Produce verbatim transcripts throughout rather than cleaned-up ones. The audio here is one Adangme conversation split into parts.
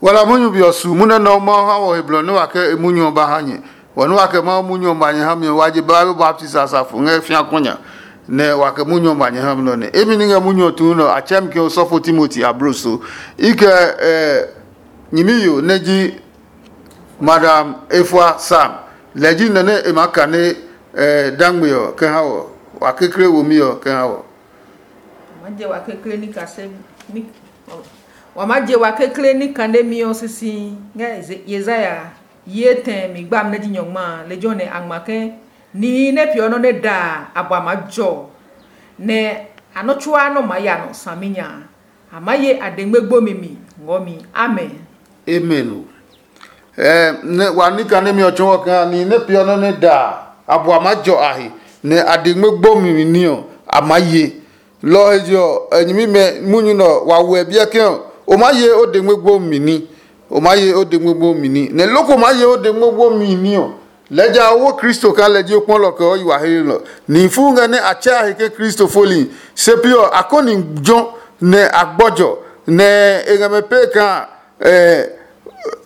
Wala munyu be ɔ su munyu nɛ Mawu ha wɔ he blɔ nɛ wa kɛ e munyu ɔ ba ha nyɛ. Wɔ nɛ wa kɛ Mawu munyu ɔ ba nyɛ ha mi ɔ, wa je ba baptisi asafo ngɛ fiakunya, nɛ wa kɛ munyu ɔ ba nyɛ ha mi nɔ nɛ. Emi ni ngɛ munyu ɔ tuu nɔ, a tsɛ mi ke osɔfo Timoti abloso. I kɛ eh, nyimiyo nɛ ji Madam Efua Sam, lɛ ji nɔ nɛ e maa kane eh, dangbe ɔ kɛ ha wɔ, wa kekle womi ɔ kɛ ha wɔ. Wa maa je wa kekle ní kase ní wa maa je wa kekle ní kane mi ɔ sisi ngɛ Yesaya yi etɛ mi gbami nɛ ji nyɔngma a. Lejɛ ɔ nɛ a ngma ke nihi nɛ peeɔ nɔ́ nɛ da a, a bua maa jɔ, nɛ a nɔ́ tsuaa nɔ́ maa ya nɔ saminya a. A maa ye a dengme gbomi mi ngɔ mi. Amen. Amen o. Eh, nɛ wa ní kane mi ɔ tsɔɔ kaa nihi nɛ peeɔ nɔ́ nɛ da a, a bua maa jɔ a he, nɛ a dengme gbomi ní ɔ a maa ye. Lɔ ɔ he je ɔ, e nyɛmimɛ munyu nɛ ɔ, wa wɛ biɛ ke ɔ, o maa ye o dengme gbomi ní. O maa ye o dengme gbomi ní. Nɛ loko maa ye o dengme gbomi ní ɔ, lɛɛ ja o wo Kristo kaa lɛ ji o kpɔlɔ kɛ o yi wa hlelɔ. Nihi fuu ngɛ nɛ a tsɛ a he ke Kristo foli, se pi ɔ, a kɔni jɔ nɛ a gbɔjɔ, nɛ e ngɛ mɛ pee kaa eh,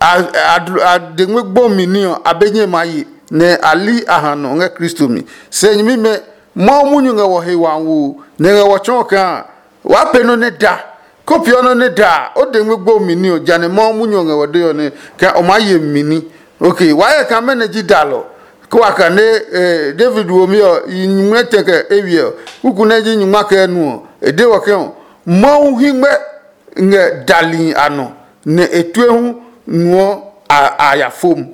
a, a, a dengme gbomi ní ɔ, a be nyɛ ma yi, nɛ a li a ha nɔ ngɛ Kristo mi. Se nyɛmimɛ, Mawu munyu ngɛ wɔ he wawoo, nɛ ngɛ wɔ tsɔɔ kaa waa pee nɔ́ nɛ da. Ko peeɔ nɔ́ nɛ da a, o dengme gbomi ní ɔ, jane Mawu munyu ɔ ngɛ wɔ dee ɔ nɛ kaa o maa ye mi ní. Ok, waa yɛ kaa mɛnɔ ji dalɔ? Ko wa kane eh, David womi ɔ, yi nyumu nɛ tɛ kɛ ewiɛ ɔ, kuku nɛ ji nyuma kɛ nu ɔ, e de wɔ ke ɔ, Mawu hingmɛ ngɛ dali a nɔ, nɛ e tue hu nuɔ a ya fom.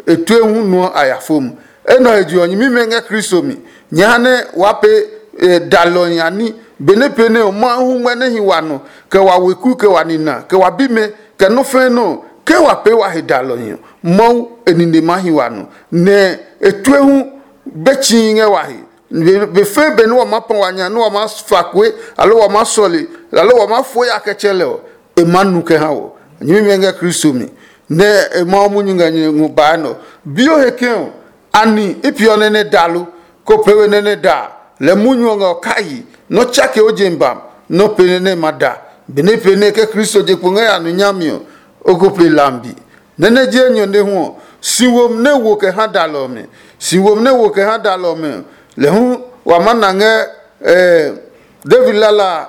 E tue hu nuɔ a ya fom. Enɛ he je ɔ, nyɛmimɛ ngɛ Kristo mi. Nyɛ ha nɛ waa pee dalɔhi a ní. Benɛ pee nɛ ɔ, Mawu hu ngmɛ nɛ hi wa nɔ, kɛ wa weku, kɛ wa nina, kɛ wa bimɛ, kɛ nɔ́ fɛ̃ nɔ́ ɔ, ke wa pee wa he dalɔhi ɔ, Mawu e nine maa hi wa nɔ, nɛ e tue hu be tsii ngɛ wa he. Be fɛ̃ benɛ wa maa pɔ wa nya nɛ wa maa fa kue, aloo wa maa sɔle, aloo wa maa fo ya kɛ tsɛ lɛ ɔ, e maa nu kɛ ha wɔ. Nyɛmimɛ ngɛ Kristo mi, nɛ e Mawu munyu ngɛ nyɛ ngɔ baa nɔ. Bi o he ke ɔ, ani i peeɔ nɛ nɛ da lo? Ko pee we nɛ nɛ da a, lɛ munyu ɔ ngɛ ɔ kai, nɔ́ tsake o je bam, nɔ́ pee nɛ nɛ ma da. Benɛ pee nɛ ke Kristo je kpo ngɛ ya nu nyami ɔ, o ko pee lambi. Nɛ nɛ ji enyɔ nɛ hu ɔ, si womi nɛ wo kɛ ha dalɔ ɔmɛ. Si womi nɛ wo kɛ ha dalɔ ɔmɛ ɔ, lɛ hu wa maa na ngɛ David lala a,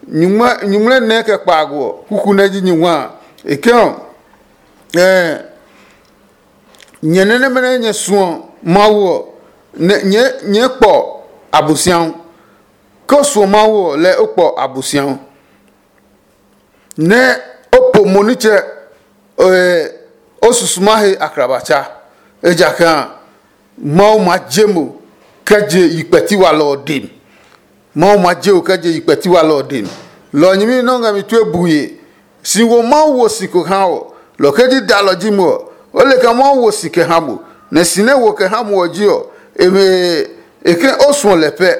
nyuŋmlɛ nɛ kɛ kpaago ɔ, kuku nɛ ji nyuŋma a. E ke ɔ, nyɛ nɛ nɛmɛ nɛ nyɛ suɔ Mawu ɔ, nyɛɛ kpɔ Abosiahu. Ke o suɔ Mawu ɔ, lɛɛ o kpɔ Abosiahu. Nɛ o po mo nitsɛ o susuma he akrabatsa, ejakaa Mawu maa je mo kɛ je yi kpɛti walɔ ɔ dem. Mawu maa je o kɛ je yi kpɛti walɔ ɔ dem. Lɔ ɔ nyɛmi nɛ o ngɛ mi tue bue. Si wo Mawu wo si ko ha ɔ, lɔ ke ji dalɔ ji mo ɔ, o le kaa Mawu wo si kɛ ha mo, nɛ si nɛ wo kɛ ha mo ɔ ji ɔ, e ke o suɔ lɛ pɛ,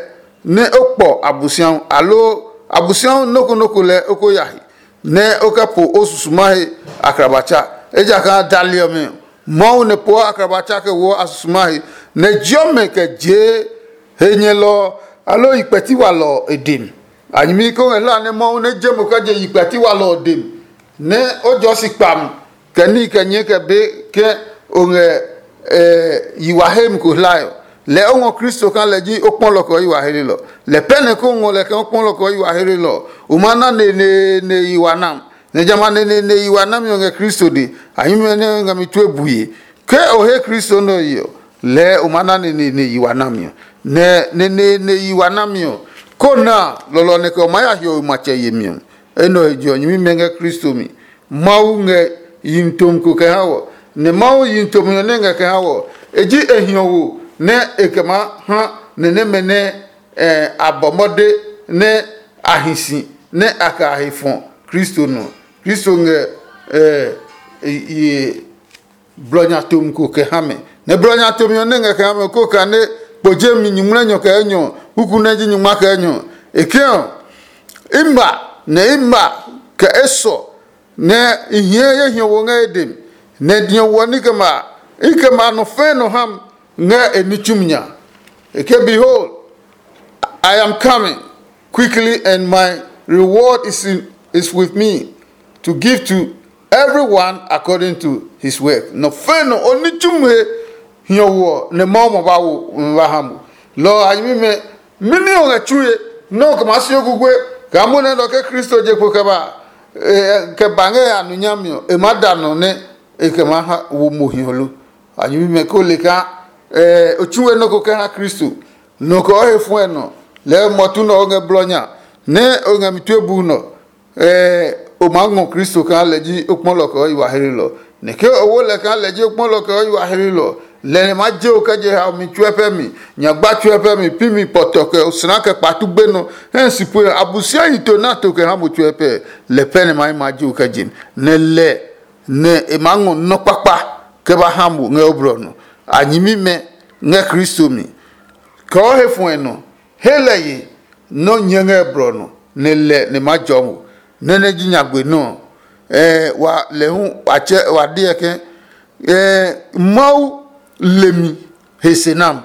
nɛ o kpɔ Abosiahu, aloo Abosiahu nɔ́ ko nɔ́ ko lɛɛ o ko ya he, nɛ o kɛ po o susuma he akrabatsa. Ejakaa dali ɔmɛ, Mawu nɛ poɔ akrabatsa kɛ woɔ a susuma he, nɛ jiɔ mɛ kɛ jee he nyɛlɔ ɔ, aloo yi kpɛti walɔ ɔ e dem. A nyɛmi ko ngɛ hlaa nɛ Mawu nɛ je mo kɛ je yi kpɛti walɔ ɔ dem, nɛ o jɔɔ si kpami, kɛ níhi kɛ nyɛɛ kɛ be ke o ngɛ yi wa hemi ko hlae ɔ, lɛɛ o ngɔ Kristo kaa lɛ ji o kpɔlɔ kɛ o yi wa heelelɔ. Lɛ pɛ nɛ ko ngɔ lɛ kɛ o kpɔlɔ kɛ o yi wa heelelɔ ɔ, o ma na neneene yi wa nam. Nɛ jamɛ a neneene yi wa nami ɔ ngɛ Kristo dee, a nyɛmimɛ nɛ ngɛ mi tue bue. Ke o he Kristo nɛ ɔ yi ɔ, lɛɛ o ma na neneene yi wa nami ɔ. Nɛ neneene yi wa nami ɔ, ko na a, lɔlɔ ɔ nɛ kɛ o maa ya hiɔwe matsɛ yemi ɔ. Enɛ ɔ he je ɔ, nyɛmimɛ ngɛ Kristo mi. Mawu ngɛ yihi tomi ko kɛ ha wɔ, nɛ Mawu yihi tomi ɔ nɛ ngɛ kɛ ha wɔ, e ji e hiɔwo nɛ e kɛ maa ha nɛ nɛmɛ nɛ a bɔ mɔde nɛ a hi si nɛ a kɛ a he fɔ Kristo nɔ. Kristo ngɛ blɔ nya tomi ko kɛ ha mɛ. Nɛ blɔ nya tomi ɔ nɛ ngɛ kɛ ha mɛ ko kane kpo jemi nyuŋmlɛnyɔ kɛ enyɔ, kuku nɛ ji nyungma kɛ enyɔ. E ke ɔ, i ma nɛ i ma kɛ esɔ nɛ i hiɛ ye hiɔwo ngɛ e dem, nɛ diɔ wɔ ní kɛ ma i kɛ ma nɔ fɛɛ nɔ ham ngɛ e ní tsumi nya. E ke, behold, I am coming quickly, and my reward is, in, is with me to give to Everyone according to his work. Nɔ fɛ̃ nɔ o ní tsumi he hiɔwo ɔ nɛ Mawu ma ba wo nɛ ba ha mo. Lɔ ɔ a nyɛmimɛ, mɛni o ngɛ tsue nɛ o kɛ maa si o kukue kaa mo nɛ nɔ ke Kristo je kpo kɛ ba kɛ ba ngɛ ya nu nyami ɔ, e maa da nɔ nɛ e kɛ maa ha wo mo hiɔ lo? A nyɛmimɛ ko le kaa o tsue nɔ́ ko kɛ ha Kristo. Nɔ kɛ o he fuɛ nɔ, lɛɛ mɔtu nɛ o ngɛ blɔ nya nɛ o ngɛ mi tue bu nɔ. O maa ngɔ Kristo kaa lɛ ji o kpɔlɔ kɛ o yi wa hlelɔ. Nɛ ke o wo lɛ kaa lɛ ji o kpɔlɔ kɛ o yi wa hlelɔ, lɛ nɛ ma je o kɛ je haomi tsuɛ pɛ mi, nyagba tsuɛ pɛ mi, pi mi pɔtɔ kɛ osla kɛ kpatu gbe nɔ hɛ si pue ɔ, Abosiami to nɛ a to kɛ ha mo tsuɛ pɛ. Lɛ pɛ nɛ ma yi ma je o kɛ je mi, nɛ lɛ nɛ e maa ngɔ nɔ́ kpakpa kɛ ba ha mo ngɛ o blɔ nɔ. A nyɛmimɛ ngɛ Kristo mi. Kɛ o he fuɛ nɔ, he lɛ ye nɔ́ nyɛ ngɛ blɔ nɔ, nɛ lɛ nɛ ma jɔ mo. Nɛ nɛ ji nyagbe nɔ ɔ, wa lɛ hu wa tsɛ wa deɛ ke Mawu le mi he se nam.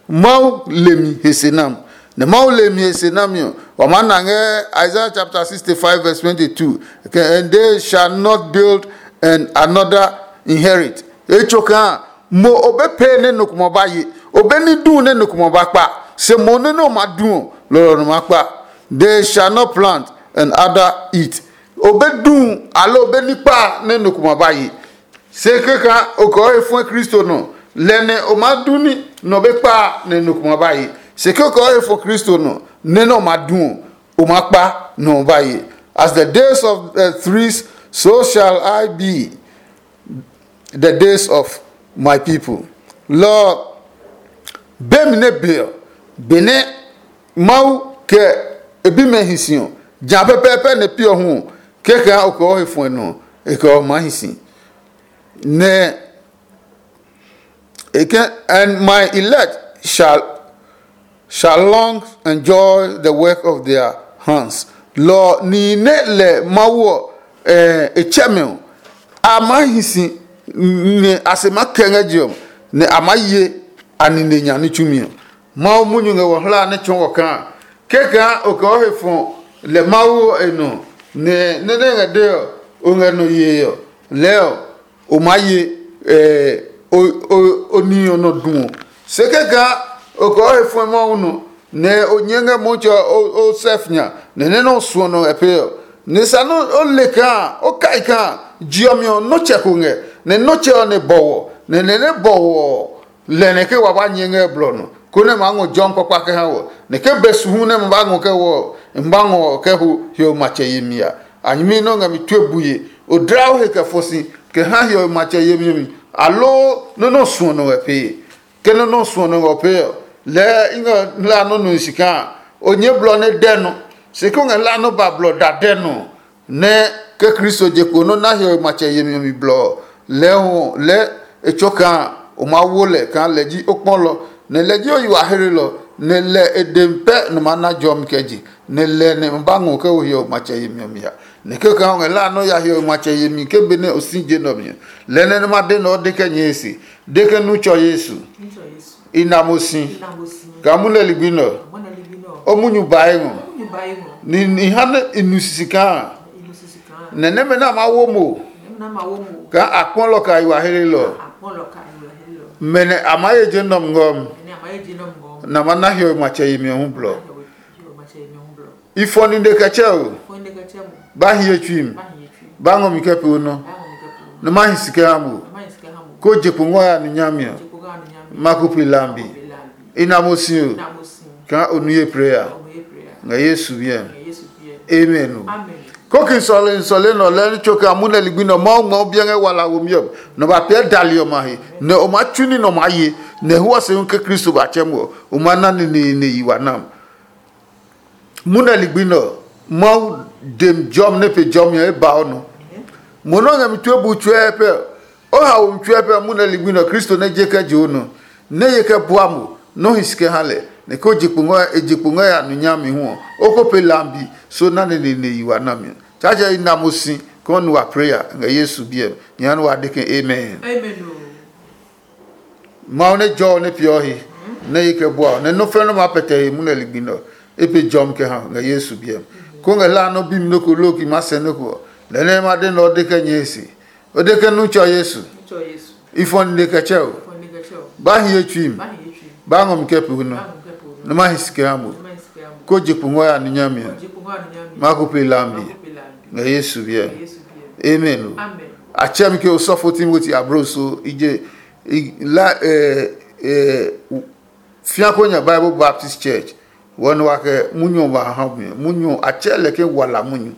Mawu le mi he se nam. Nɛ Mawu le mi he se nami ɔ, wa maa na ngɛ Isaiah chapter sixty-five verse twenty-two, ke, "And they shall not build and another inherit." E tso kaa mo o be pee nɛ nɔ ko ma ba ye, o be ní duu nɛ nɔ ko ma ba kpa, se mo nɛ nɔ ma du ɔ, lɔlɔ nɔ ma kpa. They shall not plant and other eat. O be duu aloo o be ní kpa nɛ nɔ ko ma ba ye. Se keka o kɛ o he fɔ̃ Kristo nɔ, lɛ nɛ o maa du ní nɔ be kpa nɛ nɔ ko ma ba ye. Se keka o he fɔ̃ Kristo nɔ, nɛ nɛ o ma du ɔ, o maa kpa nɔ ɔ ba ye. As the days of the trees, so shall I be the days of my people. Lɔ ɔ, be mi nɛ be ɔ, benɛ Mawu kɛ e bimɛ hi si ɔ, ja pɛpɛɛpɛ nɛ pi ɔ hu ɔ, kɛkɛ o kɛ o he fɔ̃ nɔ, e kɛ o maa hi si. Nɛ e kɛ, and my elect shall shall long enjoy the work of their hands. Lɔ ɔ, nihi nɛ lɛ Mawu ɔ e tsɛ mɛ ɔ, a maa hi si nɛ a se maa kɛ ngɛ je ɔ, nɛ a maa ye a nine nya ní tsumi ɔ. Mawu munyu ngɛ wɔ hla nɛ tsɔɔ wɔ kaa, kɛkaa o kɛ o he fɔ lɛ Mawu ɔ e nɔ, nɛ nɛ nɛ ngɛ de ɔ, o ngɛ nɔ yee ɔ, lɛɛ ɔ, o maa ye o nihi ɔ nɔ du ɔ. Se kɛkaa o kɛ o he fɔ̃ Mawu nɔ, nɛ o nyɛɛ ngɛ Mɔtsɛ ɔ sɛf nya, nɛ nɛ nɛ o suɔ nɔ ngɛ pee ɔ. Nɛ sa nɛ o le kaa o kai kaa je ɔ mi ɔ nɔ́tsɛ ko ngɛ, nɛ nɔ́tsɛ ɔ nɛ bɔwɔ, nɛ nɛ nɛ bɔwɔ ɔ, lɛ nɛ ke wa ba nyɛ ngɛ blɔ nɔ, konɛ maa ngɔ jɔmi kpakpa kɛ ha wɔ, nɛ ke be su hu nɛ ma ba ngɔ kɛ wɔ ɔ, ma ba ngɔ kɛ ho hiɔwe matsɛ yemi a. A nyɛmi nɛ o ngɛ mi tue bue, o dla o he kɛ fɔ si kɛ ha hiɔwe matsɛ yemi ɔ mi, aloo nɔ́ nɛ o suɔ nɔ ngɛ pee? Ke nɔ́ nɛ o suɔ nɔ ngɛ pee ɔ, lɛɛ i ngɛ hla nɔ́ nui si kaa o nyɛɛ blɔ nɛ dɛ nɔ, se ke o ngɛ hla nɔ́ ba blɔ da dɛ nɔ ɔ, nɛ ke Kristo je kpo nɔ́ na hiɔwe matsɛ yemi ɔ mi blɔ ɔ, lɛɛ hu lɛɛ e tsɔ kaa o maa wo lɛ kaa lɛ ji o kpɔlɔ, nɛ lɛ ji o yi wa hlelɔ, nɛ lɛ e dɛ mi pɛ nɔ maa na jɔmi kɛ je, nɛ lɛ nɛ ma ba ngɔ kɛ wo hiɔwe matsɛ yemi ɔ mi a. Nɛ kɛkaa o ngɛ hla nɔ́ ya hiɔwe matsɛ yemi ke benɛ o si je nɛ ɔ mi ɔ, lɛ nɛ nɛ ma de nɛ o de kɛ nyɛe se, de ke nu tsɔ Yesu. I na mo si. Kaa munɛ ligbi nɛ ɔ, o munyu ba ngɔ. Ni ha nɛ i nu sisi kaa nɛ nɛmɛ nɛ a maa wo mo kaa a kpɔ lɔ ka yi wa hlelɔ. Mɛ nɛ a maa ye je nɔm ngɔm, nɛ a ma na hiɔwe matsɛ yemi ɔ hu blɔ. I fɔ nine kɛ tsɛ o, ba hiye tsui mi, ba ngɔ mi kɛ pee o nɔ, nɛ ma hi si kɛ ha mo, ko je kpo ngɔ ya nu nyami ɔ, ma ko pe lambi. I na mo si o, kaa o nu ye pray a. Ngɛ Yesu biɛ mi. Amen o. Koki sɔle sɔle nɔ lɛ ni tso kɛ amu nɛ ligbi nɔ Mawu ngmɔ biɛ ngɛ wala wo miɛ nɔ ba piɛ dali ɔmɛ a he, nɛ o maa tsu ní nɔ maa ye, nɛ hua se hu ke Kristo ba tsɛ mo ɔ, o ma na neneene yi wa nam. Mu nɛ ligbi nɛ ɔ, Mawu dem jɔmi nɛ pe jɔmi ɔ e ba o nɔ. Mo nɛ o ngɛ mi tue bu tsuɛ pɛ ɔ, o haomi tsuɛ pɛ ɔ, mu nɛ ligbi nɛ ɔ, Kristo nɛ je kɛ je o nɔ, nɛ ye kɛ bua mo, nɛ o hi si kɛ ha lɛ, nɛ ko je kpo ngɔ e je kpo ngɔ ya nu nyami hu ɔ, o ko pe lambi so na neneene yi wa nami ɔ. Tsaatsɛ i na mo si kɔɔ nu wa preya ngɛ Yesu biɛ mi. Nya nɛ wa de ke amen. Amen o. Mawu nɛ jɔ ɔ nɛ peeɔ he nɛ ye kɛ bua ɔ, nɛ nɔ́ fɛ́ nɔ́ maa pɛtɛ he munɛ ligbi nɛ ɔ, e pe jɔmi kɛ ha ngɛ Yesu biɛ mi. Ko ngɛ hlaa nɔ́ bi mi nɔ́ ko loo ki maa sɛ nɔ́ ko ɔ, Lɛ nɛ ma de nɛ ɔ de kɛ nyɛe se, o de ke nu tsɔ Yesu. Tsɔ Yesu. Ifɔ nine kɛ tsɛ o. Fɔ ne kɛ tsɛ o. Ba hi ye tsui mi. Ba hi ye tsui. Ba ngɔ mi kɛ pu nɔ. Ba ngɔ kɛ pu nɔ. Ne ma hi sike ha mo. Ne ma hi sike ha mo. Ko je pu ngɔ ya ni nya mi. Ko je pu ngɔ ya ni nya mi. Ma ko pe la mi. Ma ko pe la mi. Ngɛ Yesu biɛ. Ngɛ Yesu biɛ. Amen o. Amen. A tsɛ mi ke osɔfo Timoti abro so i je i la eh eh fia ko nya Bible Baptist Church. Wɔ nɔ wa kɛ munyu ɔ ba ha mi. Munyu ɔ a tsɛ lɛ ke wala munyu.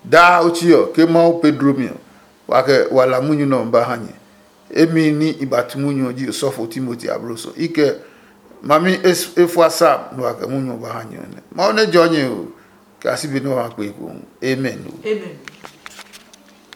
Daa o tsi ɔ ke Mawu Pedro mi ɔ, wa kɛ wala munyu nɛ ɔ ba ha nyɛ. Emi ní i ba tu munyu ɔ ji osɔfo Timoti abloso. I kɛ mami efua Sam nɛ wa kɛ munyu ɔ ba ha nyɛ ɔ nɛ. Mawu nɛ jɔ nyɛ o, kɛ a si be nɛ wa kpe ekohu. Amen o. Amen.